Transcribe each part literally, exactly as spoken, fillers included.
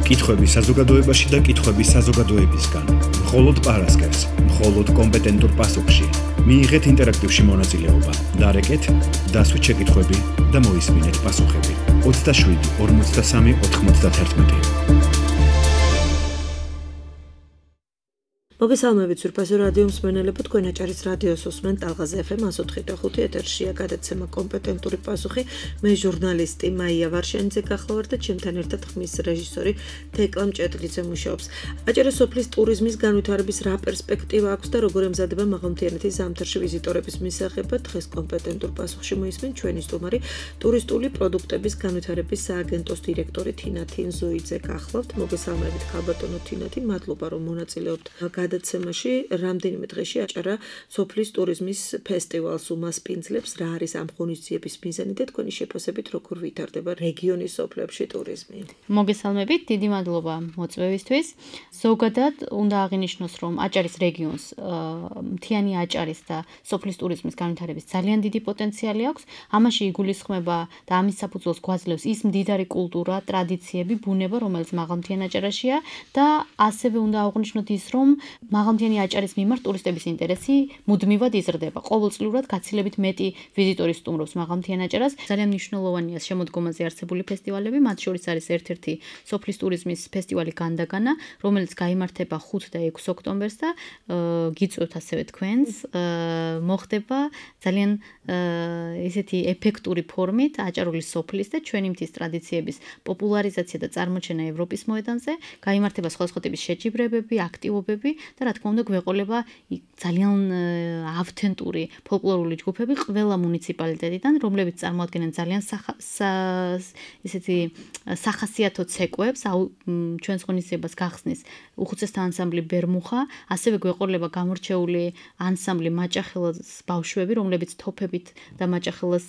კითხვები საზოგადოებაში და კითხვები საზოგადოებისგან. მხოლოდ პარასკევს, მხოლოდ კომპეტენტურ პასუხში. მიიღეთ ინტერაქტივში მონაწილეობა. დარეკეთ, დასვით შეკითხვები და მოისმინეთ პასუხები. ოცდაშვიდი ორმოცდასამი ოთხმოცდაათერთმეტი. მოგესალმებით სურფასო რადიო მსმენელებო, თქვენ აჭარის რადიოს უსმენთ ტალღაზე ეფ ემ εκατო ოთხი და ხუთი ეთერშია გადაცემა კომპეტენტური პასუხი. მე ჟურნალისტი მაია ვარშენიძე გახლავართ და ჩემთან ერთად ხმის რეჟისორი თეკლა მჭედლიძე მუშაობს. აჭარის სოფლის ტურიზმის განვითარების რა პერსპექტივა აქვს და როგორ ემზადება მაღალმთიანეთის ზამთარში ვიზიტორების მისაღებად, დღეს კომპეტენტურ პასუხში მოისმენთ ჩვენი სტუმარი, ტურისტული პროდუქტების განვითარების სააგენტოს დირექტორი თინა თინზოიძე გახლავთ. მოგესალმებით ქალბატონო თინათი, მადლობა რომ მონაწილეობთ გადაცემაში. რამდენიმე დღეში აჭარა სოფლის ტურიზმის ფესტივალს უმასპინძლებს. რა არის ამ ღონისძიების მიზანი და თქვენი შეფასებით როგორ ვითარდება რეგიონის სოფლებში ტურიზმი? მოგესალმებით, დიდი მადლობა მოწვევისთვის. ზოგადად უნდა აღინიშნოს, რომ აჭარის რეგიონს მთიანი აჭარის და სოფლის ტურიზმის განვითარების ძალიან დიდი პოტენციალი აქვს. ამაში იგულისხმება და ამის საფუძველს გვაძლევს ის მდიდარი კულტურა, ტრადიციები, ბუნება, რომელიც მაღალმთიან აჭარაშია და ასევე უნდა აღნიშნოთ ის, რომ მაღალმთიანი აჭარის მიმართ ტურისტების ინტერესი მუდმივად იზრდება. ყოველწლიურად გაცილებით მეტი ვიზიტორი სტუმრობს მაღალმთიან აჭარას. ძალიან მნიშვნელოვანია შემოდგომაზე არსებული ფესტივალები, მათ შორის არის ერთ-ერთი სოფლის ტურიზმის ფესტივალი განდაგანა, რომელიც გაიმართება ხუთ და ექვსი ოქტომბერს და გიწვევთ ასევე თქვენს. მოხდება ძალიან ესეთი ეფექტური ფორმით აჭარული სოფლის და ჩვენი მთის ტრადიციების პოპულარიზაცია და წარმოჩენა ევროპის მოედანზე. გაიმართება სხვადასხვა ტიპის შეჯიბრებები, აქტივობები და რა თქმა უნდა გვეყოლება ძალიან ავთენტური ფოლკლორული ჯგუფები ყველა მუნიციპალიტეტიდან, რომლებიც წარმოადგენენ ძალიან ესეთი სახასიათო ცეკვებს, ჩვენს ღონისძიებას გახსნის უხუცესთა ანსამბლი ბერმუხა, ასევე გვეყოლება გამორჩეული ანსამბლი მაჭახელას ბავშვები, რომლებიც თოფებით და მაჭახელას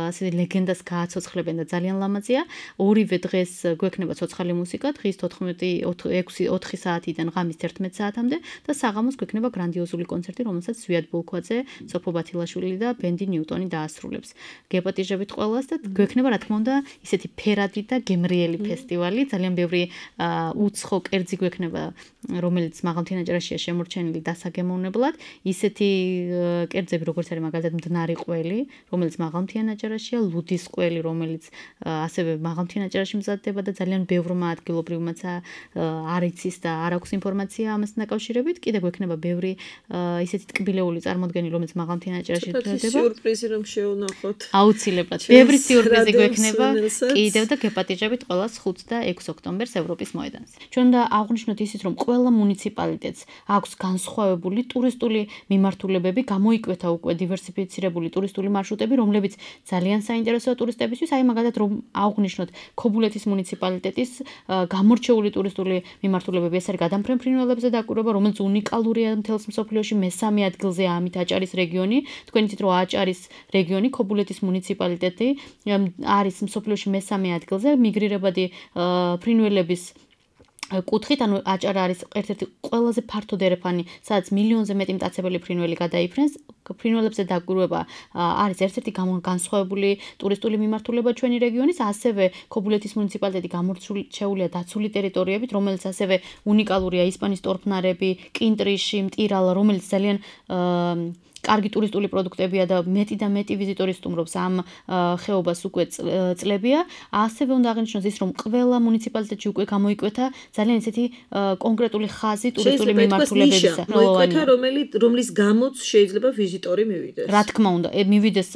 ასეთი ლეგენდას გააცოცხლებენ და ძალიან ლამაზია. ორივე დღეს გვექნება ცოცხალი მუსიკა, დღის ოთხი საათიდან ღამის ერთმეტ საათამდე და საღამოს გვექნება გრანდიოზული კონცერტი, რომელსაც ზვიად ბულქვაძე, სოფო ბათილაშვილი და ბენდი ნიუტონი დაასრულებს. გეპატიჟებით ყველას და გვექნება რა თქმა უნდა ისეთი ფერადი და გემრიელი ფესტივალი, ძალიან ბევრი უცხო კერძი გვექნება, რომელიც მაღალმთიან აჭარაშია შემორჩენილი დასაგემოვნებლად. ისეთი კერძები როგორც არის მაგალითად მდნარი ყველი, რომელიც მაღალმთიან აჭარაშია, ლუდის ყველი, რომელიც ასევე მაღალმთიან აჭარაში მზადდება და ძალიან ბევრმა ადგილობრივმაც არ იცის და არ აქვს ინფორმაცია ამასთან დაკავშირებით. კიდე გვექნება ბევრი ისეთი ტკბილეული წარმოდგენი, რომელიც მაღალმთიან აჭარაში მზადდება. სიურპრიზი რომ შევნახოთ. აუცილებლად. ბევრი სიურპრიზი გვექნება კიდევ და გეპატიჟებით ყველას ხუთ და ექვსი ოქტომბერს ევროპის მოედანზე. ჩვენ უნდა აღვნიშნოთ ისიც, რომ ყველა მუნიციპალიტეტს აქვს განსხვავებული ტურისტული მიმართულებები, გამოიკვეთა უკვე დივერსიფიცირებული ტურისტული მარშრუტები, რომლებიც ძალიან საინტერესოა ტურისტებისთვის. აი მაგალითად რომ აღვნიშნოთ ქობულეთის მუნიციპალიტეტის გამორჩეული ტურისტული მიმართულებები, ეს არის გადამფრენ ფრინველებზე დაკვირვება, რომელიც უნიკალურია მთელს მსოფლიოში, მესამე ადგილზეა ამით აჭარის რეგიონი. თქვენ იცით, რომ აჭარის რეგიონი, ქობულეთის მუნიციპალიტეტი არის მსოფლიოში მესამე ადგილზე, მიგრირებადი ფრინველების კუთხით, ანუ აჭარა არის ერთ-ერთი ყველაზე ფართო დერეფანი, სადაც მილიონზე მეტი მტაცებელი ფრინველი გადაიფრენს. ფრინველებზე დაკვირვება არის ერთ-ერთი განსხვავებული ტურისტული მიმართულება ჩვენი რეგიონის, ასევე ქობულეთის მუნიციპალიტეტი გამორჩეულია დაცული ტერიტორიებით, რომელიც ასევე უნიკალურია, ისპანის ტორფნარები, კინტრიში, მტირალა, რომელიც ძალიან კარგი ტურისტული პროდუქტებია და მეტი და მეტი ვიზიტორი სტუმრობს ამ ხეობას უკვე წლებია. ასევე უნდა აღინიშნოს ის, რომ ყველა მუნიციპალიტეტში უკვე გამოიკვეთა ძალიან ისეთი კონკრეტული ხაზი ტურისტული მიმართულებებისა. მოიკვეთა, რომლის გამოც შეიძლება ვიზიტორი მივიდეს. რა თქმა უნდა, მივიდეს,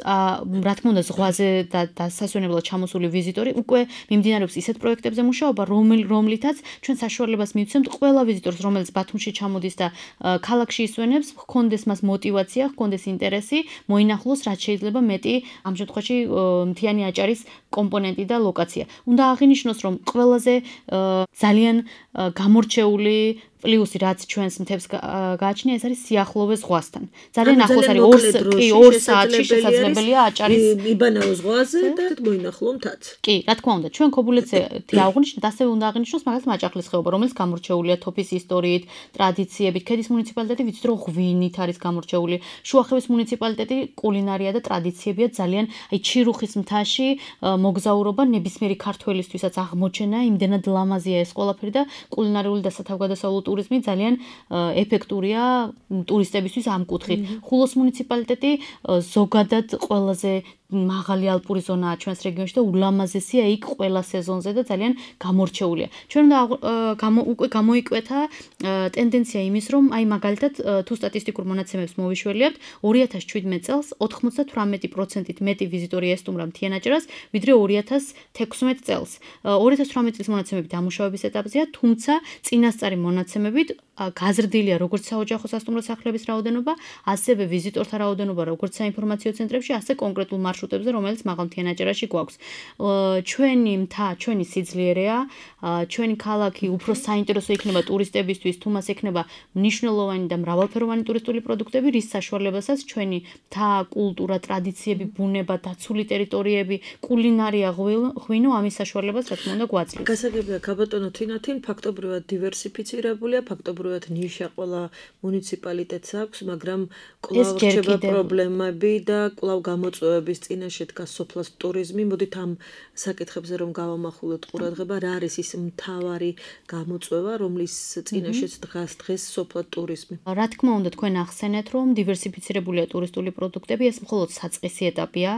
რა თქმა უნდა, ზღვაზე და დასასვენებლად ჩამოსული ვიზიტორი უკვე მიმდინარეობს ისეთ პროექტებზე მუშაობა, რომლითაც ჩვენ საშუალებას მივცემთ ყველა ვიზიტორს, რომელიც ბათუმში ჩამოდის და ქალაქში ისვენებს, ჰქონდეს მას мотиваცია, ჰქონდეს ინტერესი, მოინახულოს რაც შეიძლება მეტი ამ შემთხვევაში მთიანი აჭარის კომპონენტი და ლოკაცია. უნდა აღინიშნოს, რომ ყველაზე ძალიან გამორჩეული პლუსი რაც ჩვენს მთებს გააჩნია, ეს არის სიახლოვე ზღვასთან. ძალიან ახლოს არის ორი საათში შესაძლებელია აჭარის იბანაო ზღვაზე და მოინახულო მთაც. კი, რა თქმა უნდა, ჩვენ ქობულეთზე აღვნიშნეთ, ასევე უნდა აღნიშნოს მაგალითად მაჭახლის ხეობა, რომელიც გამორჩეულია თოფის ისტორიით, ტრადიციებით. ქედის მუნიციპალიტეტი ვიცით რომ ღვინით არის გამორჩეული. შუახევის მუნიციპალიტეტი კულინარია და ტრადიციებია ძალიან, აი ჩირუხის მთაში მოგზაურობა ნებისმიერი ქართველისთვისაც აღმოჩენა, იმდენად ლამაზია ეს ყველაფერი და კულინარიული და სათავგადასავლო ტურიზმი ძალიან ეფექტურია ტურისტებისთვის ამ კუთხით. ხულოს მუნიციპალიტეტი ზოგადად ყველაზე მაღალი ალპური ზონაა ჩვენს რეგიონში და ულამაზესია იქ ყველა სეზონზე და ძალიან გამორჩეულია. ჩვენ უნდა უკვე გამოიკვეთა ტენდენცია იმის, რომ აი მაგალითად თუ სტატისტიკურ მონაცემებს მოვიშველიებთ, ორი ათას შვიდმეტ წელს ოთხმოცდათვრამეტი პროცენტით მეტი ვიზიტორი ესტუმრა მთიან აჭარას, ვიდრე ორი ათას თექვსმეტ წელს. ორი ათას თვრამეტი წლის მონაცემები დამუშავების ეტაპზეა, თუმცა წინასწარი მონაცემებით გაზრდილია როგორც საოჯახო სასტუმრო სახლების რაოდენობა, ასევე ვიზიტორთა რაოდენობა როგორც საინფორმაციო ცენტრებში, ასე კონკრეტულ მარშრუტებზე, რომელიც მაღალმთიან აჭარაში გვაქვს. ჩვენი მთა, ჩვენი სიძლიერეა, ჩვენი ქალაქი უფრო საინტერესო იქნება ტურისტებისთვის, თუ მას ექნება მნიშვნელოვანი და მრავალფეროვანი ტურისტული პროდუქტები, რის საშუალებასაც ჩვენი მთა, კულტურა, ტრადიციები, ბუნება, დაცული ტერიტორიები, კულინარია, ღვინო ამის საშუალებას რა თქმა უნდა გვაძლევს. გასაგებია ქაბატონო თინათინ ფაქტობრივად დივერსიფიცირებულია, ფაქტობრივად ნიშა ყველა მუნიციპალიტეტს აქვს, მაგრამ კვლავ რჩება პრობლემები და კვლავ გამოწვევების წინაშე დგას სოფლას ტურიზმი. მოდით ამ საკითხებზე რომ გავამახვილოთ ყურადღება, რა არის ის მთავარი გამოწვევა, რომლის წინაშეც დგას დღეს სოფლად ტურიზმი? რა თქმა უნდა, თქვენ ახსენეთ, რომ დივერსიფიცირებულია ტურისტული პროდუქტები, ეს მხოლოდ საწყისი ეტაპია.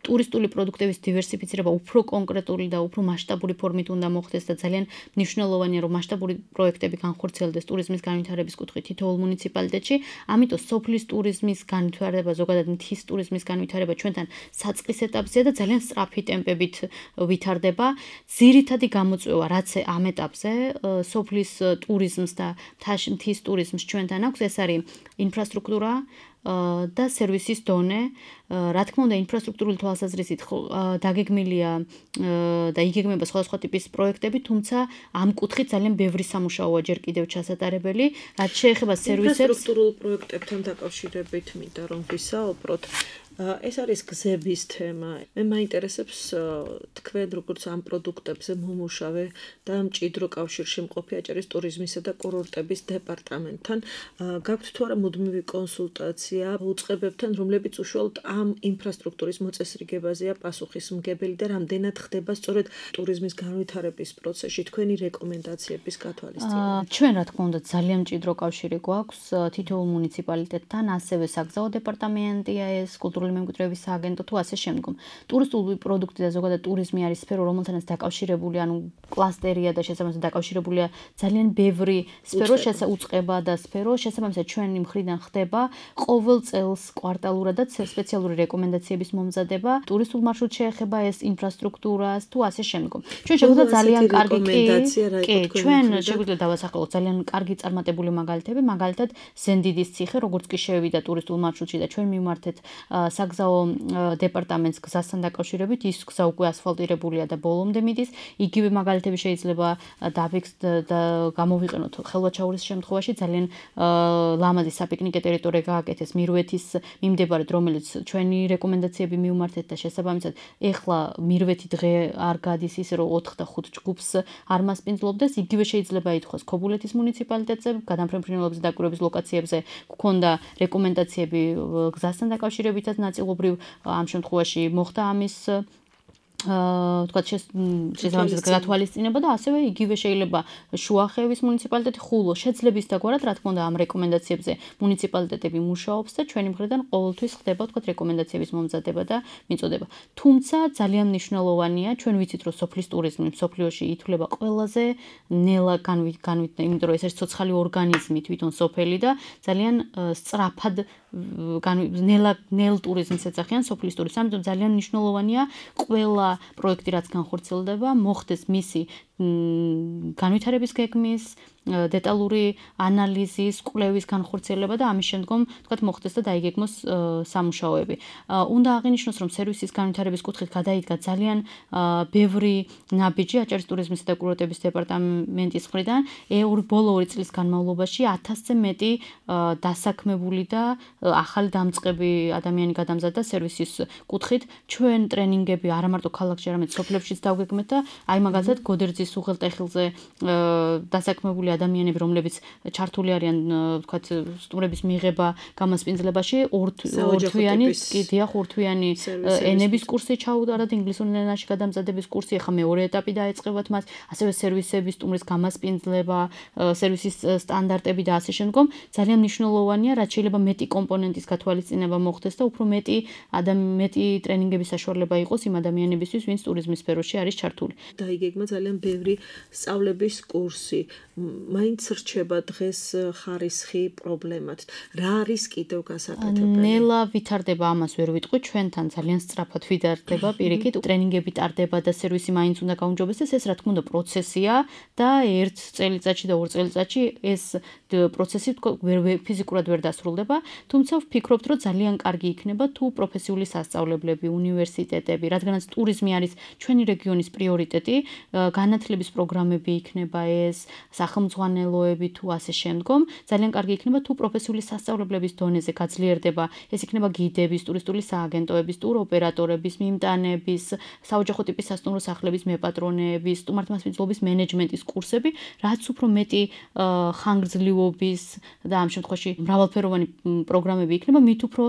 ტურისტული პროდუქტების დივერსიფიცირება უფრო კონკრეტული და უფრო მასშტაბური ფორმით უნდა მოხდეს და ძალიან მნიშვნელოვანია რომ მასშტაბური პროექტები განხორციელდეს ტურიზმის განვითარების კუთხით თითოეულ მუნიციპალიტეტში. ამიტომ სოფლის ტურიზმის განვითარება, ზოგადად მთის ტურიზმის განვითარება ჩვენთან საწყის ეტაპზეა და ძალიან სწრაფი ტემპებით ვითარდება. ძირითადი გამოწვევა რაც ამ ეტაპზე სოფლის ტურიზმს და მთის ტურიზმს ჩვენთან აქვს, ეს არის ინფრასტრუქტურა და სერვისის დონე. რა თქმა უნდა, ინფრასტრუქტურული თვალსაზრისით დაგეგმილია და იგეგმება სხვადასხვა ტიპის პროექტები, თუმცა ამ კუთხით ძალიან ბევრი სამუშაოა ჯერ კიდევ ჩასატარებელი. რაც შეეხება სერვისებს, ინფრასტრუქტურულ პროექტებთან დაკავშირებით მინდა რომ ვისაუბროთ. ეს არის გზების თემა. მე მაინტერესებს თქვენ როგორც ამ პროდუქტებზე მომუშავე და მჭიდრო კავშირში მყოფი აჭარის ტურიზმისა და კურორტების დეპარტამენტთან. გაქვთ თუ არა მუდმივი კონსულტაცია უწყებებთან, რომლებიც უშუალოდ ამ ინფრასტრუქტურის მოწესრიგებაზეა პასუხისმგებელი და რამდენად ხდება სწორედ ტურიზმის განვითარების პროცესში თქვენი რეკომენდაციების გათვალისწინება? ჩვენ რა თქმა უნდა ძალიან მჭიდრო კავშირი გვაქვს თითოეულ მუნიციპალიტეტთან, ასევე საგზაო დეპარტამენტია ეს, კულტურული მემკვიდრეობის სააგენტო თუ ასე შემდგომ. ტურისტული პროდუქტი და ზოგადად ტურიზმი არის სფერო, რომელთანაც დაკავშირებული, ანუ კლასტერია და შესაბამისად დაკავშირებულია ძალიან ბევრი სფერო, შეუწყება და სფერო, შესაბამისად ჩვენი მხრიდან ხდება ყოველ წელს კვარტალურადაც სპეციალური რეკომენდაციების მომზადება. ტურისტულ მარშრუტს შეეხება ეს ინფრასტრუქტურას თუ ასე შემდგომ. ჩვენ შეგვიძლია ძალიან კარგი კი, ჩვენ შეგვიძლია დავასახელოთ ძალიან კარგი წარმატებული მაგალითები, მაგალითად ზენდიდის ციხე, როგორც კი შევიდა ტურისტულ მარშრუტში და ჩვენ მივმართეთ საგზაო დეპარტამენტს გზასთან დაკავშირებით, ის გზა უკვე ასფალტირებულია და ბოლომდე მიდის. იგივე მაგალითები შეიძლება დავიქცეთ და გამოვიყენოთ ხელვაჩაურის შემთხვევაში ძალიან ლამაზი საპიკნიკე ტერიტორია გააკეთეს მირვეთის მიმდებარედ, რომელიც ჩვენი რეკომენდაციები მივმართეთ და შესაბამისად ეხლა მირვეთი დღე არ გადის ისე რომ ოთხ და ხუთ ჯგუფს არ მასპინძლობდეს. იგივე შეიძლება ითქვას ქობულეთის მუნიციპალიტეტზე, გადამფრენფრენელობის და დაკვირვების ლოკაციებზე გქონდა რეკომენდაციები გზასთან დაკავშირებითაც ნაწილობრივ ამ შემთხვევაში მოხდა ამის თქვა შესაბამისად გათვალისწინება და ასევე იგივე შეიძლება შუახევის მუნიციპალიტეტი, ხულო შეძლების დაგვარად, რა თქმა უნდა ამ რეკომენდაციებზე მუნიციპალიტეტები მუშაობს და ჩვენი მხრიდან ყოველთვის ხდება თქვა რეკომენდაციების მომზადება და მიწოდება. თუმცა ძალიან მნიშვნელოვანია, ჩვენ ვიცით რომ სოფლის ტურიზმი მსოფლიოში ითვლება ყველაზე ნელა განვითარებული, იმიტომ რომ ეს არის ცოცხალი ორგანიზმი თვითონ სოფელი და ძალიან სწრაფად ნელა ნელ ტურიზმს ეძახიან სოფლის ტურიზმს. ამიტომ ძალიან მნიშვნელოვანია ყველა პროექტი რაც განხორციელდება, მოხდეს მისი განვითარების გეგმის დეტალური ანალიზის, კვლევის განხორციელება და ამის შემდგომ, თქვათ, მოხდეს და დაიგეგმოს სამუშაოები. უნდა აღინიშნოს, რომ სერვისის განვითარების კუთხით გადაიდგა ძალიან ბევრი ნაბიჯი აჭარის ტურიზმისა და კურორტების დეპარტამენტის მხრიდან. ორი ბოლო ორი წლის განმავლობაში ათასზე მეტი დასაქმებული და ახალი დამწყები ადამიანი გადამზადდა სერვისის კუთხით. ჩვენ ტრენინგები არა მარტო ქალაქში, არამედ სოფლებშიც დავგეგმეთ და აი მაგალითად გოდერძის უღელტეხილზე დასაქმებული ადამიანები, რომლებიც ჩართული არიან, ვთქვათ, სტუმრების მიღება, გამასპინძლებაში, ორთვიანი, კიდია ორთვიანი ენების კურსი ჩაუტარდათ, ინგლისური ენაში გადამზადების კურსი, ახლა მეორე ეტაპი დაეწყებათ მას, ასევე სერვისების სტუმრის გამასპინძლება, სერვისის სტანდარტები და ასე შემდგომ. ძალიან მნიშვნელოვანია, რაც შეიძლება მეტი კომპონენტის გათვალისწინება მოხდეს და უფრო მეტი მეტი ტრენინგების საშუალება იყოს იმ ადამიანებისთვის, ვინც ტურიზმის სფეროში არის ჩართული. დაიგეგმა ძალიან ბევრი სწავლების კურსი. მაინც რჩება დღეს ხარისხი პრობლემად. რა არის კიდევ გასაკეთებელი? ნელა ვითარდება, ამას ვერ ვიტყვი, ჩვენთან ძალიან სწრაფად ვითარდება პირიქით. ტრენინგები ტარდება და სერვისი მაინც უნდა გაუმჯობესდეს, ეს რა თქმა უნდა პროცესია და ერთ წელიწადში და ორ წელიწადში ეს პროცესი ვერ ფიზიკურად ვერ დასრულდება, თუმცა ვფიქრობთ, რომ ძალიან კარგი იქნება თუ პროფესიული სასწავლებლები, უნივერსიტეტები, რადგანაც ტურიზმი არის ჩვენი რეგიონის პრიორიტეტი, განათლების პროგრამები იქნება ეს, სახელმძღვანელოები თუ ასე შემდგომ, ძალიან კარგი იქნება თუ პროფესიული სასწავლებლების დონეზე გაძლიერდება, ეს იქნება გიდების, ტურისტული სააგენტოების, ტუროპერატორების, მიმტანების, საოჯახო ტიპის სასტუმრო სახლების მეპატრონეების, სტუმართმასპინძლობის მენეჯმენტის კურსები, რაც უფრო მეტი ხანგრძლივობის და ამ შემთხვევაში მრავალფეროვანი პროგრამები იქნება, მით უფრო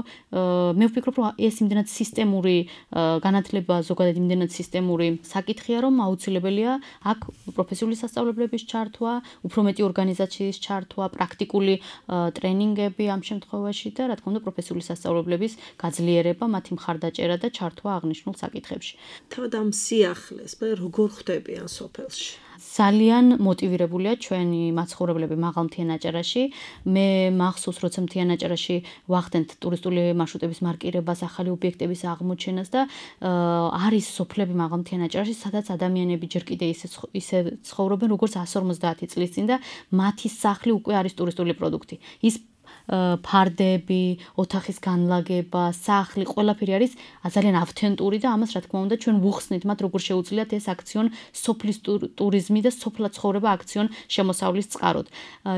მე ვფიქრობ, რომ ეს იმდენად სისტემური განათლება, ზოგადად იმდენად სისტემური საკითხია, რომ აუცილებელია აქ პროფესიული სასწავლებლების ჩართვა, უფრო მეტი ორგანიზაციის ჩართვა, პრაქტიკული ტრენინგები ამ შემთხვევაში და რა თქმა უნდა პროფესიული სასწავლებლების გაძლიერება, მათი მხარდაჭერა და ჩართვა აღნიშნულ საკითხებში. თავად ამ სიახლეს მე როგორ ხვდებიან სოფელში? ძალიან მოტივირებულია ჩვენი მაცხოვრებლები მაღალ მთიან აჭარაში. მე მახსოვს, როცა მთიან აჭარაში ვახდენთ ტურისტული მარშრუტების მარკირებას, ახალი ობიექტების აღმოჩენას და არის სოფლები მაღალ მთიან აჭარაში, სადაც ადამიანები ჯერ კიდე ისე ისე ცხოვრობენ, როგორც εκατს ორმოცდაათი წლის წინ და მათი სახლი უკვე არის ტურისტული პროდუქტი. ის ფარდები, ოთახის განლაგება, სახლი, ყველაფერი არის ძალიან ავთენტური და ამას რა თქმა უნდა ჩვენ ვუხსნით მათ როგორ შეუძლიათ ეს აქციონ სოფლის ტურიზმი და სოფლად ცხოვრება აქციონ შემოსავლის წყაროდ.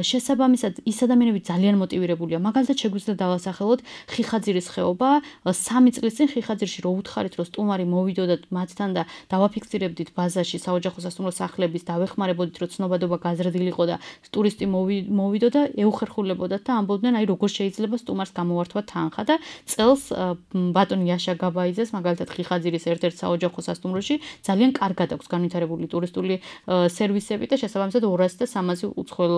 შესაბამისად, ის ადამიანები ძალიან მოტივირებულია. მაგალითად შეგვიძლია დავასახელოთ ხიხაძირის ხეობა, სამი წლის წინ ხიხაძირში რო უთხარით, რომ სტუმარი მოვიდოდათ მათთან და დავაფიქსირებდით ბაზაში საოჯახო სასტუმრო სახლების, დავეხმარებოდით, რომ ცნობადობა გაზრდილიყო და ტურისტი მოვიდოდა, ეუხერხულებოდათ და ამბობდნენ აი როგორ შეიძლება სტუმარს გამოვართვა თანხა და წელს ბატონი იაშა გაბაიძეს მაგალითად ხიხაძირის ერთ-ერთ საოჯახო სასტუმროში ძალიან კარგად აქვს განვითარებული ტურისტული სერვისები და შესაბამისად ორასი და სამასი უცხოელ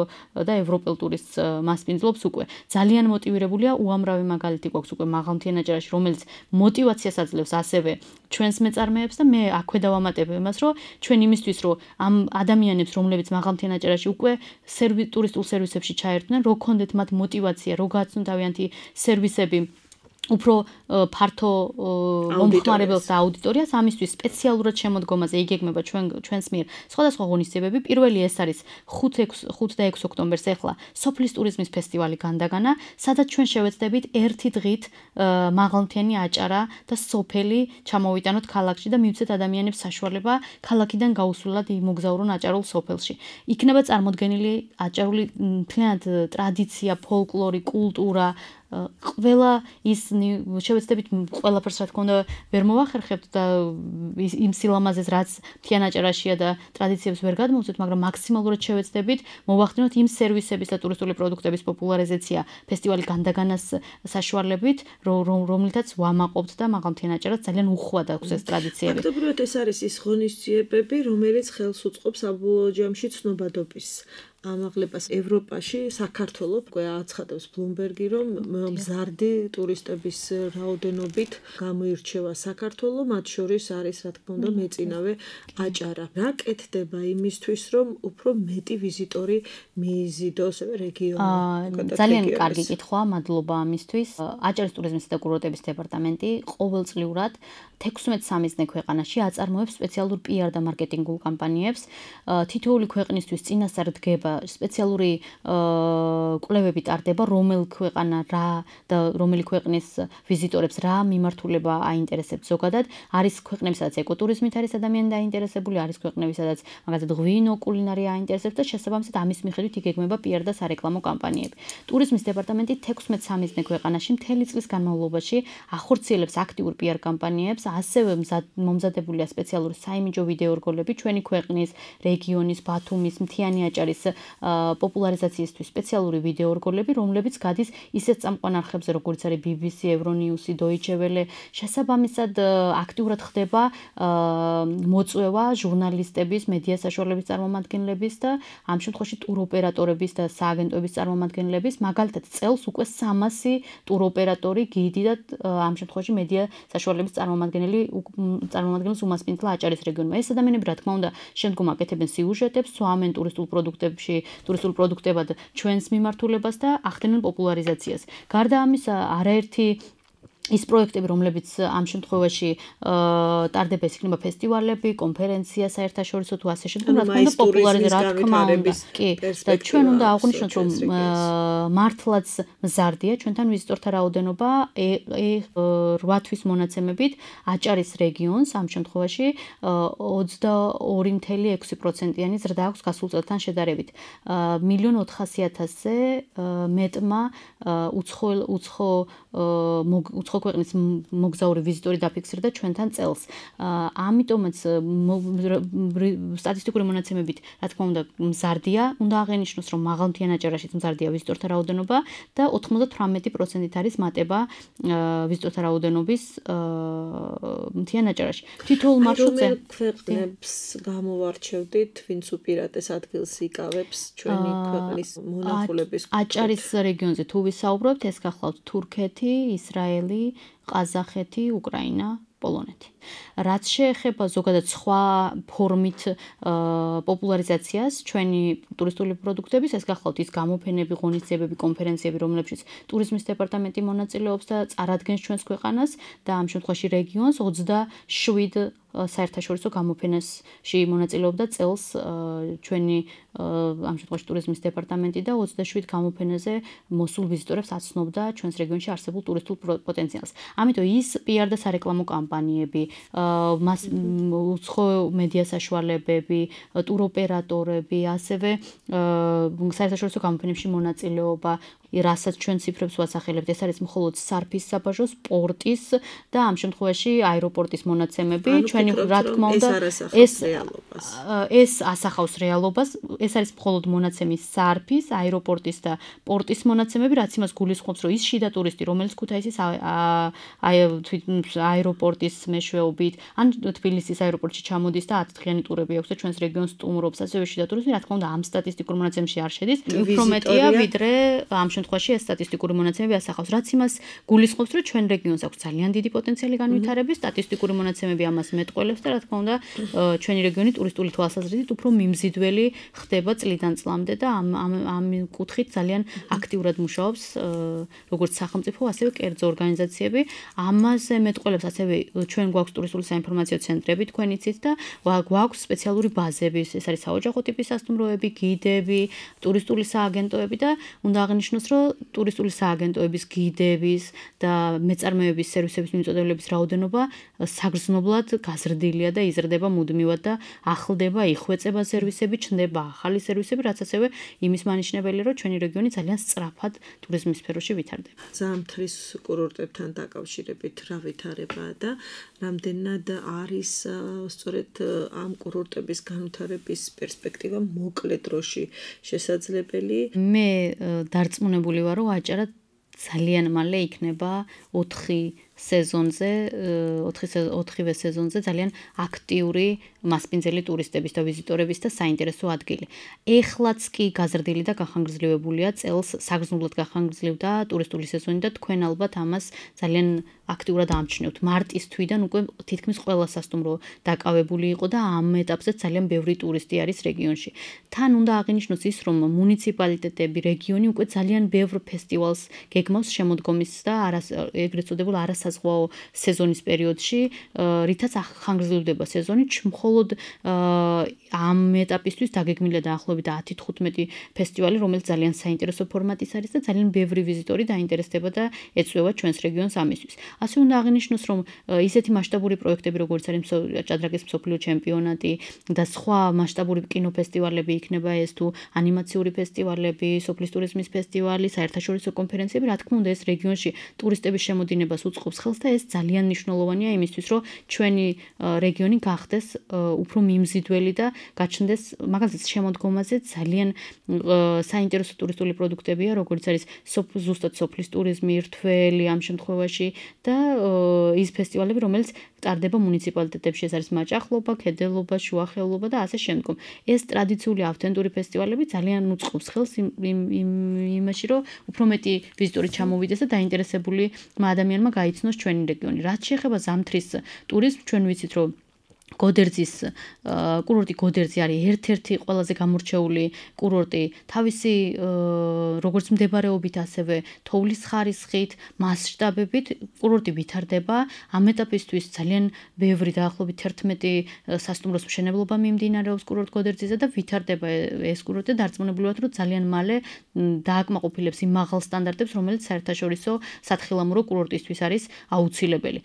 და ევროპელ ტურისტს მასპინძლობს უკვე. ძალიან მოტივირებულია, უამრავი მაგალითი გვაქვს უკვე მაღალ მთიან აჭარაში, რომელიც მოტივაციას აძლევს ასევე ჩვენს მეწარმეებს და მე აქვე დავამატებ იმას, რომ ჩვენ იმისთვის, რომ ამ ადამიანებს, რომლებიც მაღალ მთიან აჭარაში უკვე ტურისტულ სერვისებში ჩაერთვნენ, რო ქონდეთ მათ მოტივაცია, რო გააცნო თავიანთი სერვისები უფრო ფართო მომხმარებელს და აუდიტორიას, ამისთვის სპეციალურად შემოდგომაზე იგეგმება ჩვენ ჩვენს მიერ სხვადასხვა ღონისძიებები. პირველი ეს არის ხუთ და ექვსი ოქტომბერს ახლა სოფლის ტურიზმის ფესტივალი განდაგანა, სადაც ჩვენ შევეცდებით ერთი დღით მაღალმთიანი აჭარა და სოფელი ჩამოვიტანოთ ქალაქში და მივცეთ ადამიანებს საშუალება ქალაქიდან გაუსვლელად იმოგზაურონ აჭარულ სოფელში. იქნება წარმოდგენილი აჭარული მთლიანად ტრადიცია, ფოლკლორი, კულტურა, ყველა ის შევეცდებით ყველაფერს რა თქმა უნდა ვერ მოვახერხებთ და იმ სილამაზეს რაც მთიან აჭარაშია და ტრადიციებს ვერ გადმოვწვით, მაგრამ მაქსიმალურად შევეცდებით მოვახდინოთ იმ სერვისების და ტურისტული პროდუქტების პოპულარიზაცია ფესტივალი განდაგანას საშუალებით, რომლითაც ვამაყობთ და მაღალ მთიან აჭარას ძალიან უხვად აქვს ეს ტრადიციები. ფაქტობრივად ეს არის ის ღონისძიებები, რომელიც ხელს უწყობს საბოლოო ჯამში ცნობადობის ამაღლებას ევროპაში. საქართველოს უკვე აცხადებს ბლუმბერგი, რომ მზარდი ტურისტების რაოდენობით გამოირჩევა საქართველო, მათ შორის არის რა თქმა უნდა მეწინავე აჭარა. რა კეთდება იმისთვის, რომ უფრო მეტი ვიზიტორი მიიზიდოს რეგიონში? ძალიან კარგი კითხვა, მადლობა ამისთვის. აჭარის ტურიზმისა და კურორტების დეპარტამენტი ყოველწლიურად თექვსმეტ სამიზნე ქვეყანაში აწარმოებს სპეციალურ პი არ და მარკეტინგულ კამპანიებს. თითოეული ქვეყნისთვის წინასწარ დგება სპეციალური კვლევები ტარდება, რომელი ქვეყანა რა და რომელი ქვეყნის ვიზიტორებს რა მიმართულება აინტერესებს ზოგადად. არის ქვეყნები, სადაც ეკოტურიზმით არის ადამიანი დაინტერესებული, არის ქვეყნები, სადაც მაგალითად ღვინო, კულინარია აინტერესებს და შესაბამისად ამის მიხედვით იგეგმება პი არ და სარეკლამო კამპანიები. ტურიზმის დეპარტამენტი თექვსმეტ სამიზნე ქვეყანაში მთელი წლის განმავლობაში ახორციელებს აქტიურ პი არ კამპანიებს, ასევე მომზადებულია სპეციალური საიმიჯო ვიდეო რგოლები ჩვენი ქვეყნის, რეგიონის, ბათუმის, მთიანი აჭარის პოპულარიზაციისთვის სპეციალური ვიდეო რგოლები, რომლებიც გადის ისეთ წამყვან არხებზე, როგორც არის ბი ბი სი, ევრონიუსი, დოიჩე ველე. შესაბამისად აქტიურად ხდება მოწვევა ჟურნალისტების, მედია საშუალებების წარმომადგენლების და ამ შემთხვევაში ტუროპერატორების და სააგენტოების წარმომადგენლების, მაგალითად წელს უკვე სამასი ტუროპერატორი, გიდი და ამ შემთხვევაში მედია საშუალების წარმომადგენელი წარმომადგენელს უმასპინძლა აჭარის რეგიონმა. ეს ადამიანები რა თქმა უნდა შემდგომ აკეთებენ სიუჟეტებს, სვამენ ტურისტულ პროდუქტებში, ტურისტულ პროდუქტებად ჩვენს მიმართულებას და ახდენენ პოპულარიზაციას. გარდა ამისა, არაერთი ის პროექტები, რომლებიც ამ შემთხვევაში ტარდება, ეს იქნება ფესტივალები, კონფერენცია საერთაშორისო თუ ასე შემდეგ, რა თქმა უნდა პოპულარიზაცია, რა თქმა უნდა. კი, და ჩვენ უნდა აღვნიშნოთ, რომ მართლაც მზარდია ჩვენთან ვიზიტორთა რაოდენობა რვა თვის მონაცემებით აჭარის რეგიონს ამ შემთხვევაში ოცდაორი წუთი ექვსი პროცენტიანი ზრდა აქვს გასულ წელთან შედარებით. მილიონ ოთხასი ათასზე მეტმა უცხო უცხო უცხო ქვეყნის მოგზაური ვიზიტორი დაფიქსირდა ჩვენთან წელს. ამიტომაც სტატისტიკური მონაცემებით, რა თქმა უნდა, მზარდია, უნდა აღენიშნოს, რომ მაღალმთიან აჭარაშიც მზარდია ვიზიტორთა რაოდენობა და ოცდაოთხი პროცენტით არის მატება ვიზიტორთა რაოდენობის მთიან აჭარაში. თითოეულ მარშრუტზე ქვეყნებს გამოვარჩევდით, ვინც უპირატეს ადგილს იკავებს ჩვენი ქვეყნის მონახულების აჭარის რეგიონზე თუ ვისაუბრებთ, ეს გახლავთ თურქეთი, ისრაელი, ყაზახეთი, უკრაინა, პოლონეთი. რაც შეეხება ზოგადად სხვა ფორმით პოპულარიზაციას ჩვენი ტურისტული პროდუქტების, ეს გახლავთ ის გამოფენები, ღონისძიებები, კონფერენციები, რომლებშიც ტურიზმის დეპარტამენტი მონაწილეობს და წარადგენს ჩვენს ქვეყანას და ამ შემთხვევაში რეგიონს ოცდაშვიდ საერთაშორისო გამოფენაში მონაწილეობდა წელს ჩვენი ამ შემთხვევაში ტურიზმის დეპარტამენტი და ოცდაშვიდ გამოფენაზე მოსულ ვიზიტორებს აცნობდა ჩვენს რეგიონში არსებულ ტურისტულ პოტენციალს. ამიტომ ის პი არ და სარეკლამო კამპანიები, მას უცხო მედია საშუალებები, ტუროპერატორები, ასევე საერთაშორისო გამოფენებში მონაწილეობა, რასაც ჩვენ ციფრებს ვასახელებთ, ეს არის მხოლოდ სარფის საბაჟო, სპორტის და ამ შემთხვევაში აეროპორტის მონაცემები, ჩვენი რა თქმა უნდა ეს ეს ასახავს რეალობას, ეს არის მხოლოდ მონაცემის სარფის, აეროპორტის და პორტის მონაცემები, რაც იმას გულისხმობს, რომ ის შიდა ტურისტი, რომელიც ქუთაისის აეროპორტის მეშვეობით, ან თბილისის აეროპორტში ჩამოდის და ათ დღიანი ტურები აქვს და ჩვენს რეგიონს სტუმრობს, ასევე შიდა ტურიზმი, რა თქმა უნდა, ამ სტატისტიკურ მონაცემებში არ შედის. უფრო მეტია, ვიდრე ამ შემთხვევაში ეს სტატისტიკური მონაცემები ასახავს, რაც იმას გულისხმობს, რომ ჩვენ რეგიონს აქვს ძალიან დიდი პოტენციალი განვითარების, სტატისტიკური მონაცემები ამას მეტყველებს და რა თქმა უნდა, ჩვენი რეგიონი ტურისტული თვალსაზრისით უფრო მიმზიდველი ხდება წლიდან წლამდე და ამ ამ კუთხით ძალიან აქტიურად მუშაობს როგორც სახელმწიფო, ასევე კერძო ორგანიზაციები. ამაზე მეტყველებს ასევე ჩვენ გვაქვს ტურისტული საინფორმაციო ცენტრები, თქვენ იცით და გვაქვს სპეციალური ბაზები, ეს არის საოჯახო ტიპის სასტუმროები, გიდები, ტურისტული სააგენტოები და უნდა აღნიშნოს, რომ ტურისტული სააგენტოების, გიდების და მეწარმეების სერვისების მიმწოდებლების რაოდენობა საგრძნობლად გაზრდილია და იზრდება მუდმივად და ახლდება, იხვეწება სერვისები, ჩნდება ახალი სერვისები, რაც ასევე იმის მანიშნებელია, რომ ჩვენი რეგიონი ძალიან სწრაფად ტურიზმის სფეროში ვითარდება. ზამთრის კურორტებთან დაკავშირებით რა ვითარებაა და რამდენად არის სწორედ ამ კურორტების განვითარების პერსპექტივა მოკლე დროში შესაძლებელი? მე დარწმუნებული ვარ, რომ აჭარა ძალიან მალე იქნება ოთხი სეზონზე, ოთხივე სეზონზე ძალიან აქტიური მასპინძელი ტურისტების და ვიზიტორების და საინტერესო ადგილი. ეხლაც კი გაზრდილი და გახანგრძლივებულია, წელს საგრძნობლად გახანგრძლივდა ტურისტული სეზონი და თქვენ ალბათ ამას ძალიან აქტიურად ამჩნევთ. მარტის თვიდან უკვე თითქმის ყველა სასტუმრო დაკავებული იყო და ამ ეტაპზე ძალიან ბევრი ტურისტი არის რეგიონში. თან უნდა აღინიშნოს ის, რომ მუნიციპალიტეტები, რეგიონი უკვე ძალიან ბევრ ფესტივალს გეგმავს შემოდგომის და ეგრეთ წოდებულ არასა განსაზღვაო სეზონის პერიოდში, რითაც ხანგრძლივდება სეზონი, მხოლოდ ამ ეტაპისთვის დაგეგმილია დაახლოებით ათი თხუთმეტი ფესტივალი, რომელიც ძალიან საინტერესო ფორმატის არის და ძალიან ბევრი ვიზიტორი დაინტერესდება და ეწვევა ჩვენს რეგიონს ამისთვის. ასე უნდა აღინიშნოს, რომ ისეთი მასშტაბური პროექტები, როგორც არის ჭადრაკის მსოფლიო ჩემპიონატი და სხვა მასშტაბური კინოფესტივალები იქნება ეს თუ ანიმაციური ფესტივალები, სოფლის ტურიზმის ფესტივალი, საერთაშორისო კონფერენციები, რა თქმა უნდა, ეს რეგიონში ტურისტების შემოდინებას უწყობს ხელს და ეს ძალიან მნიშვნელოვანია იმისთვის, რომ ჩვენი რეგიონი გახდეს უფრო მიმზიდველი და გაჩნდეს მაგალითად შემოდგომაზე ძალიან საინტერესო ტურისტული პროდუქტებია, როგორც არის ზუსტად სოფლის ტურიზმი, რთველი ამ შემთხვევაში და ის ფესტივალები, რომელიც ტარდება მუნიციპალიტეტებში, ეს არის მაჭახლობა, ქედელობა, შუახეულობა და ასე შემდგომ. ეს ტრადიციული ავთენტური ფესტივალები ძალიან უწყობს ხელს იმაში, რომ უფრო მეტი ვიზიტორი ჩამოვიდეს და დაინტერესებული ადამიანმა გაიცნოს ჩვენი რეგიონი. რაც შეეხება ზამთრის ტურიზმს, ჩვენ ვიცით, რომ გოდერძის კურორტი გოდერძი არის ერთ-ერთი ყველაზე გამორჩეული კურორტი თავისი როგორც მდებარეობით, ასევე თოვლის ხარისხით, მასშტაბებით კურორტი ვითარდება. ამ ეტაპისთვის ძალიან ბევრი დაახლოებით თერთმეტი სასტუმროს მშენებლობა მიმდინარეობს კურორტ გოდერძიზე და ვითარდება ეს კურორტი და დარწმუნებული ვართ, რომ ძალიან მალე დააკმაყოფილებს იმ მაღალ სტანდარტებს, რომელიც საერთაშორისო სათხილამურო კურორტისთვის არის აუცილებელი.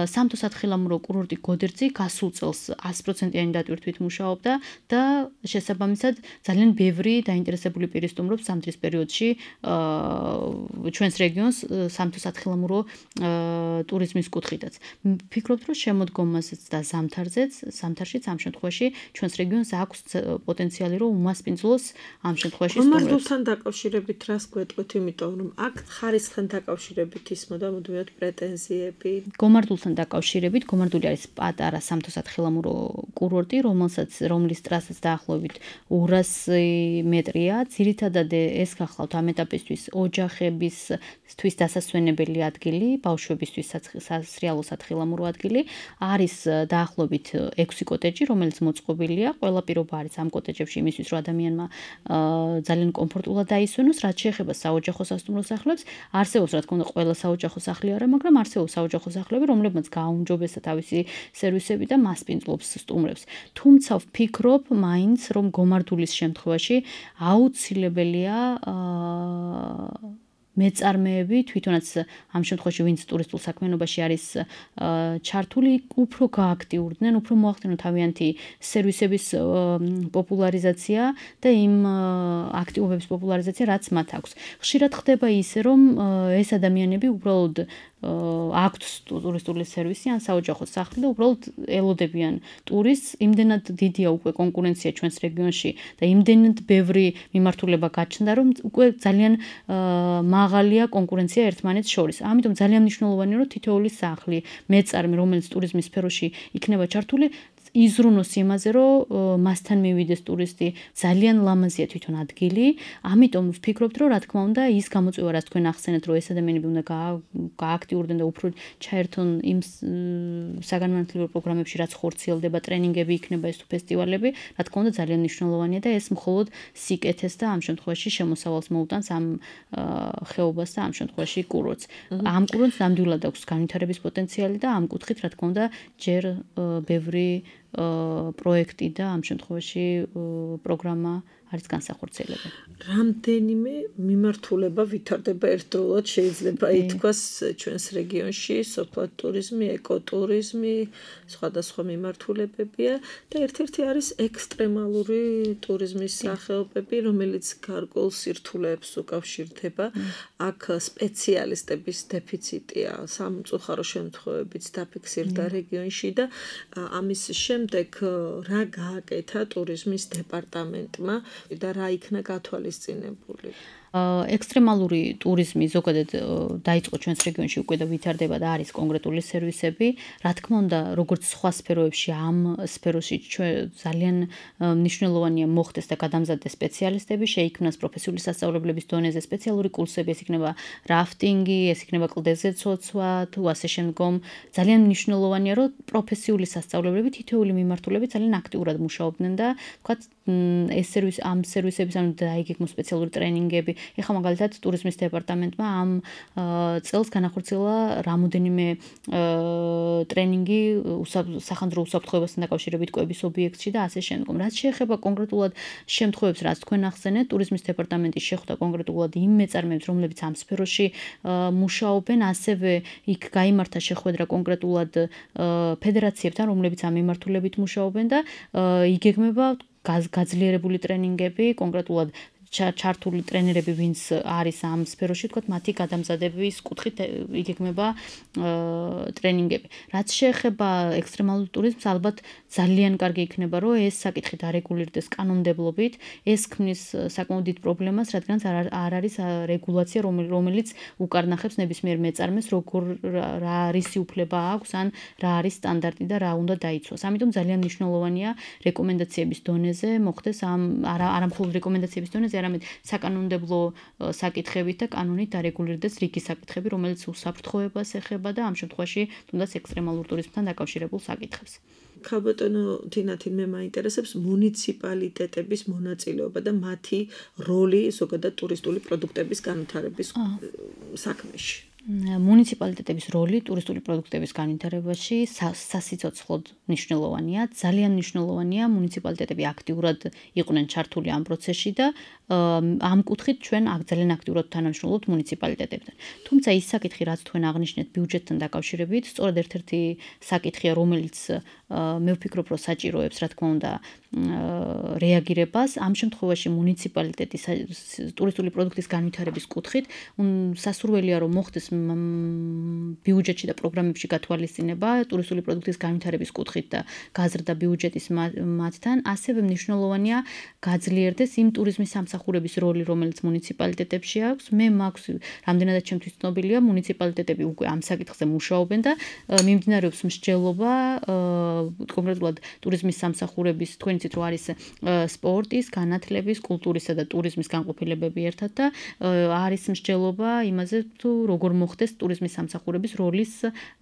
სამთო სათხილამურო კურორტი გოდერძი გასულ წელს ათი პროცენტიანი დატვირთვით მუშაობდა და შესაბამისად ძალიან ბევრი დაინტერესებული პირი სტუმრობს ზამთრის პერიოდში ჩვენს რეგიონს სამთო სათხილამურო ტურიზმის კუთხითაც. ვფიქრობთ, რომ შემოდგომაზეც და ზამთარზეც, ზამთარშიც ამ შემთხვევაში ჩვენს რეგიონს აქვს პოტენციალი, რომ უმასპინძლოს ამ შემთხვევაში სტუმრებს. გომარდულთან დაკავშირებით რას გვეტყვით, იმიტომ რომ აქ ხარისხთან დაკავშირებით ისმოდა მუდმივად პრეტენზიები. გომარდულთან დაკავშირებით, გომარდული არის პატარა სამთო სათხილამურო კურორტი, რომელსაც რომლის ტრასაც დაახლოებით ორასი მეტრია. ძირითადად ეს გახლავთ ამ ეტაპისთვის ოჯახებისთვის დასასვენებელი ადგილი, ბავშვებისთვის სასრიალო სათხილამურო ადგილი. არის დაახლოებით ექვსი კოტეჯი, რომელიც მოწყობილია. ყველა პირობა არის ამ კოტეჯებში იმისთვის, რომ ადამიანმა ძალიან კომფორტულად დაისვენოს. რაც შეეხება საოჯახო სასტუმრო სახლებს, არსებობს რა თქმა უნდა ყველა საოჯახო სახლი არა, მაგრამ არსებობს საოჯახო სახლები, რომლებმაც გააუმჯობესა თავისი სერვისები და მასპინძლობს სტუმრებს. თუმცა ვფიქრობ მაინც, რომ გომარდულის შემთხვევაში აუცილებელია მეწარმეები, თვითონაც ამ შემთხვევაში ვინც ტურისტულ საქმიანობაში არის ჩართული, უფრო გააქტიურდნენ, უფრო მოახდინონ თავიანთი სერვისების პოპულარიზაცია და იმ აქტივობების პოპულარიზაცია, რაც მათ აქვს. ხშირად ხდება ისე, რომ ეს ადამიანები უბრალოდ აქვთ ტურისტული სერვისი ან საოჯახო სახლი და უბრალოდ ელოდებიან ტურისტს. იმდენად დიდია უკვე კონკურენცია ჩვენს რეგიონში და იმდენად ბევრი მიმართულება გაჩნდა, რომ უკვე ძალიან მაღალია კონკურენცია ერთმანეთს შორის. ამიტომ ძალიან მნიშვნელოვანია, რომ თითოეული სახლი, მეწარმე, რომელიც ტურიზმის სფეროში იქნება ჩართული, იზრუნოს იმაზე, რომ მასთან მივიდეს ტურისტი, ძალიან ლამაზია თვითონ ადგილი. ამიტომ ვფიქრობთ, რომ რა თქმა უნდა, ის გამოწვევა, რაც თქვენ ახსენეთ, რომ ეს ადამიანები უნდა გააქტიურდნენ და უფრო ჩაერთონ იმ საგანმანათლებლო პროგრამებში, რაც ხორციელდება, ტრენინგები იქნება ეს თუ ფესტივალები, რა თქმა უნდა, ძალიან მნიშვნელოვანია და ეს მხოლოდ სიკეთეს და ამ შემთხვევაში შემოსავალს მოუტანს ამ ხეობას და ამ შემთხვევაში კურორტს. ამ კურორტს ნამდვილად აქვს განვითარების პოტენციალი და ამ კუთხით, რა თქმა უნდა, ჯერ ბევრი პროექტი და ამ შემთხვევაში პროგრამა არის განსახორციელებელი. რამდენიმე მიმართულება ვითარდება ერთდროულად, შეიძლება ითქვას ჩვენს რეგიონში, სოფლად ტურიზმი, ეკოტურიზმი, სხვადასხვა მიმართულებებია და ერთ-ერთი არის ექსტრემალური ტურიზმის სახეობები, რომელიც გარკვეულ სირთულეებს უკავშირდება. აქ სპეციალისტების დეფიციტია სამწუხარო შემთხვევებიც დაფიქსირდა რეგიონში და ამის შემდეგ რა გააკეთა ტურიზმის დეპარტამენტმა და რა იქნა გათვალისწინებული? ექსტრემალური ტურიზმი ზოგადად დაიწყო ჩვენს რეგიონში უკვე და ვითარდება და არის კონკრეტული სერვისები. რა თქმა უნდა, როგორც სხვა სფეროებში, ამ სფეროში ძალიან მნიშვნელოვანია მოხდეს და გადამზადდეს სპეციალისტები, შეიქმნას პროფესიული სასწავლებლების დონეზე სპეციალური კურსები, ეს იქნება რაფტინგი, ეს იქნება კლდეზე ცოცვა, თუ ასე შემდგომ. ძალიან მნიშვნელოვანია, რომ პროფესიული სასწავლებლები თითოეული მიმართულებით ძალიან აქტიურად მუშაობდნენ და თქვათ ეს სერვის ამ სერვისების ანუ დაიგეგმოს სპეციალური ტრენინგები ეხლა მაგალითად ტურიზმის დეპარტამენტმა ამ წელს განახორციელა რამოდენიმე ტრენინგი სახანძრო უსაფრთხოებასთან დაკავშირებით კვების ობიექტში და ასე შემდგომ. რაც შეეხება კონკრეტულად შემთხვევებს, რაც თქვენ ახსენეთ, ტურიზმის დეპარტამენტის შეხვდა კონკრეტულად იმ მეწარმეებს, რომლებიც ამ სფეროში მუშაობენ, ასევე იქ გაიმართა შეხვედრა კონკრეტულად ფედერაციებთან, რომლებიც ამ მიმართულებით მუშაობენ და იგეგმება გაძლიერებული ტრენინგები, კონკრეტულად ჩართული ტრენერები, ვინც არის ამ სფეროში, თქვათ, მათი გადამზადების კუთხით იგეგმება ტრენინგები. რაც შეეხება ექსტრემალურ ტურიზმს, ალბათ ძალიან კარგი იქნება, რომ ეს საკითხი დარეგულირდეს კანონმდებლობით. ეს ქმნის საკმაოდ დიდ პრობლემას, რადგან არ არის რეგულაცია, რომელიც უკარნახებს ნებისმიერ მეწარმეს, როგორ რა რისი უფლება აქვს, ან რა არის სტანდარტი და რა უნდა დაიცვას. ამიტომ ძალიან მნიშვნელოვანია რეკომენდაციების დონეზე მოხდეს ამ არა მხოლოდ რეკომენდაციების დონეზე, არამედ საკანონმდებლო საკითხებით და კანონით დარეგულირდეს რიგი საკითხები, რომელიც უსაფრთხოებას ეხება და ამ შემთხვევაში თუნდაც ექსტრემალურ ტურიზმთან დაკავშირებულ საკითხებს. ქალბატონო თინათინ, მე მაინტერესებს მუნიციპალიტეტების მონაწილეობა და მათი როლი ზოგადად ტურისტული პროდუქტების განვითარების საქმეში. მუნიციპალიტეტების როლი ტურისტული პროდუქტების განვითარებაში სასიცოცხლოდ მნიშვნელოვანია. ძალიან მნიშვნელოვანია მუნიციპალიტეტები აქტიურად იყვნენ ჩართული ამ პროცესში და ამ კუთხით ჩვენ ძალიან აქტიურად თანამშრომლობთ მუნიციპალიტეტებთან. თუმცა ის საკითხი, რაც თქვენ აღნიშნეთ ბიუჯეტთან დაკავშირებით, სწორედ ერთ-ერთი საკითხია, რომელიც მე ვფიქრობ, რომ საჭიროებს, რა თქმა უნდა, რეაგირებას. ამ შემთხვევაში მუნიციპალიტეტის ტურისტული პროდუქტის განვითარების კუთხით სასურველია, რომ მოხდეს ბიუჯეტში და პროგრამებში გათვალისწინება ტურისტული პროდუქტის განვითარების კუთხით და გაზრდა ბიუჯეტის მათთან. ასევე მნიშვნელოვანია გაძლიერდეს იმ ტურიზმის სამსახურების როლი, რომელიც მუნიციპალიტეტებში აქვს. მე მაქვს რამდენადაც ჩემთვის ცნობილია, მუნიციპალიტეტები უკვე ამ საკითხზე მუშაობენ და მიმდინარეობს მსჯელობა კონკრეტულად ტურიზმის სამსახურების, თქვენ იცით, რომ არის სპორტის, განათლების, კულტურისა და ტურიზმის განყოფილებები ერთად და არის მსჯელობა იმაზე, თუ როგორ მოხდეს ტურიზმის სამსახურების როლის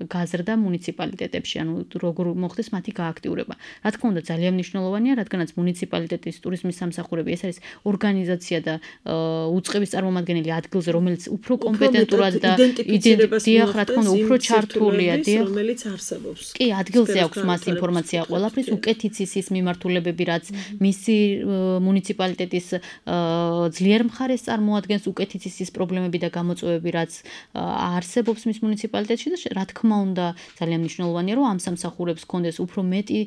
გაზრდა მუნიციპალიტეტებში, ანუ როგორ მოხდეს მათი გააქტიურება. რა თქმა უნდა, ძალიან მნიშვნელოვანია, რადგანაც მუნიციპალიტეტის ტურიზმის სამსახურები ეს არის ორგანიზაცია და უწყების წარმომადგენელი ადგილზე, რომელიც უფრო კომპეტენტურად და იდენტიფიცირებას, რა თქმა უნდა, უფრო ჩართულია, რომელიც არსებობს. კი, ადგილზე აქვს მას ინფორმაცია ყველაფრის, უკეთ იცის ის მიმართულებები, რაც მისი მუნიციპალიტეტის ძლიერ მხარეს წარმოადგენს, უკეთ იცის ის პრობლემები და გამოწვევები, რაც არსებობს მის მუნიციპალიტეტში და რა თქმა უნდა, ძალიან მნიშვნელოვანია, რომ ამ სამსახურებს ჰქონდეს უფრო მეტი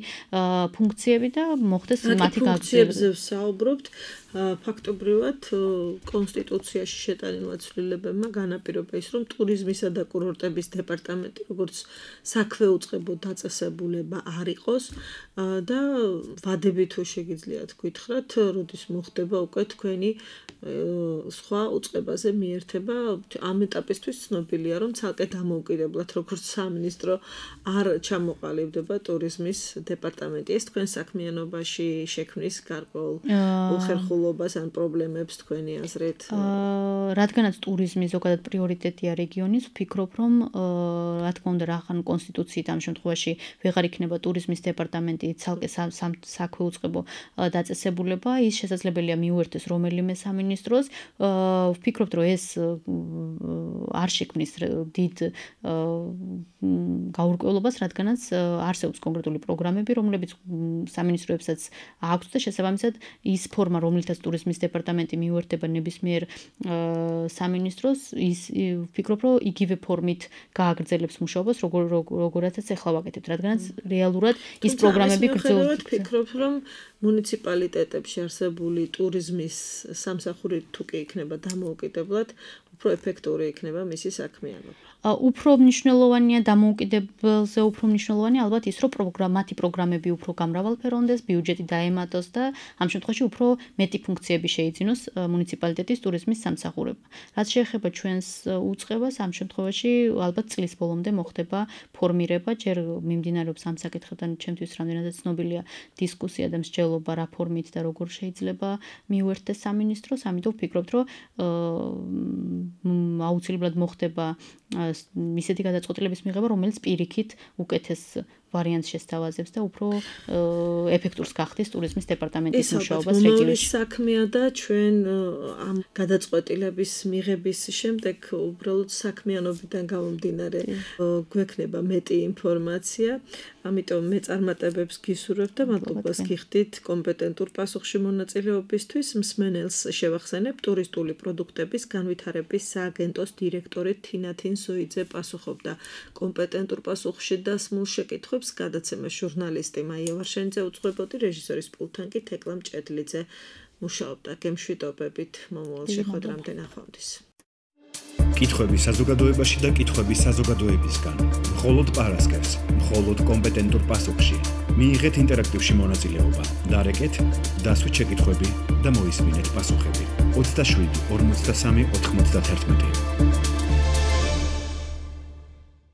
ფუნქციები და მოხდეს მათი გაძლიერება. ფუნქციებზე ვსაუბრობთ, ფაქტობრივად კონსტიტუციაში შეტანილ ცვლილებებმა განაპირობა ის, რომ ტურიზმისა და კურორტების დეპარტამენტი, როგორც საქვეუწყებო დაწესებულება არ იყოს და ვადები თუ შეგიძლიათ გითხრათ, როდის მოხდება უკვე თქვენი სხვა უწყებაზე მიერთება. ამ ეტაპისთვის ცნობილია, რომ ცალკე დამოუკიდებლად როგორც სამინისტრო არ ჩამოყალიბდება ტურიზმის დეპარტამენტი. ეს თქვენ საქმიანობაში შექმნის გარკვეულ უხერხულობას ან პრობლემებს თქვენი აზრით? რადგანაც ტურიზმი ზოგადად პრიორიტეტია რეგიონის, ვფიქრობ, რომ რა თქმა უნდა, რახან კონსტიტუციით ამ შემთხვევაში ვეღარ იქნება ტურიზმის დეპარტამენტი ცალკე საქვეუწყებო დაწესებულება, ის შესაძლებელია მიუერთდეს რომელიმე სამინისტროს. ვფიქრობთ, რომ ეს არ შექმნის დიდ გაურკვევლობას, რადგანაც არსებობს კონკრეტული პროგრამები, რომლებიც სამინისტროებსაც აქვს და შესაბამისად ის ფორმა, რომლითაც ტურიზმის დეპარტამენტი მიუერთდება ნებისმიერ სამინისტროს, ის ვფიქრობ, რომ იგივე ფორმით გააგრძელებს მუშაობას, როგორ როგორაცაც ახლა ვაკეთებთ, რადგანაც რეალურად ის პროგრამები გრძელდება. ვფიქრობ, რომ მუნიციპალიტეტებში არსებული ტურიზმის სამსახური თუ კი იქნება დამოუკიდებლად, უფრო ეფექტური იქნება მისი საქმიანობა. უფრო მნიშვნელოვანია დამოუკიდებელზე უფრო მნიშვნელოვანია ალბათ ის, რომ პროგრამათი პროგრამები უფრო გამრავალფეროვნდეს, ბიუჯეტი დაემატოს და ამ შემთხვევაში უფრო მეტი ფუნქციები შეიძინოს მუნიციპალიტეტის ტურიზმის სამსახურებმა. რაც შეეხება ჩვენს უწყებას, ამ შემთხვევაში ალბათ წლის ბოლომდე მოხდება ფორმირება, ჯერ მიმდინარეობს ამ საკითხთან ჩემთვის რამდენადაც ცნობილია დისკუსია და მსჯელობა რა ფორმით და როგორ შეიძლება მიუერთდეს სამინისტროს, ამიტომ ვფიქრობთ, რომ აუცილებლად მოხდება ისეთი გადაწყვეტილების მიღება, რომელიც პირიქით უკეთეს ვარიანტს შესთავაზებს და უფრო ეფექტურს გახდის ტურიზმის დეპარტამენტის მუშაობას რეგიონში. ეს საქმეა და ჩვენ ამ გადაწყვეტილების მიღების შემდეგ უბრალოდ საქმიანობიდან გამომდინარე გვექნება მეტი ინფორმაცია, ამიტომ მე წარმატებებს გისურვებ და მადლობას გიხდით კომპეტენტურ პასუხში მონაწილეობისთვის. მსმენელს შევახსენებ, ტურისტული პროდუქტების განვითარების სააგენტოს დირექტორი თინათინ ზოიძე პასუხობდა კომპეტენტურ პასუხში დასმულ შეკითხვებს. გადაცემა ჟურნალისტი მაია ვარშენიძე უძღვებოდი, რეჟისორის პულტთან კი თეკლა მჭედლიძე მუშაობდა. გემშვიდობებით მომავალ შეხვედრამდე ნახვამდის. კითხვები საზოგადოებაში და კითხვები საზოგადოებისგან. მხოლოდ პარასკევს, მხოლოდ კომპეტენტურ პასუხში. მიიღეთ ინტერაქტივში მონაწილეობა. დარეკეთ, დასვით შეკითხვები და მოისმინეთ პასუხები. ოცდაშვიდი ორმოცდასამი ოთხმოცდაათერთმეტი